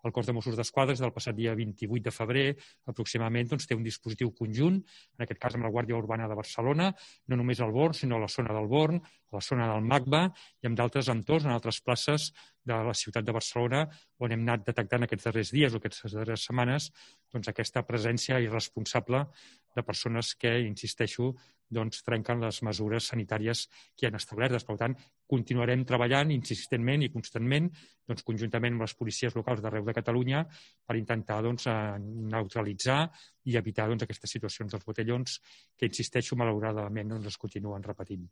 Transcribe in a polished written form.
El cos de Mossos d'Esquadra, del passat dia 28 de febrer, aproximadament, té un dispositiu conjunt, en aquest cas amb la Guàrdia Urbana de Barcelona, no només al Born, sinó a la zona del Born, a la zona del MACBA i en d'altres entorns, en altres places de la ciutat de Barcelona, on hem anat detectant aquests darrers dies o aquestes darreres setmanes aquesta presència irresponsable de persones que, insisteixo, trenquen les mesures sanitàries que han establertes. Per tant, continuarem treballant insistentment i constantment, conjuntament amb les policies locals d'arreu de Catalunya, per intentar neutralitzar i evitar aquestes situacions dels botellons que, insisteixo, malauradament es continuen repetint.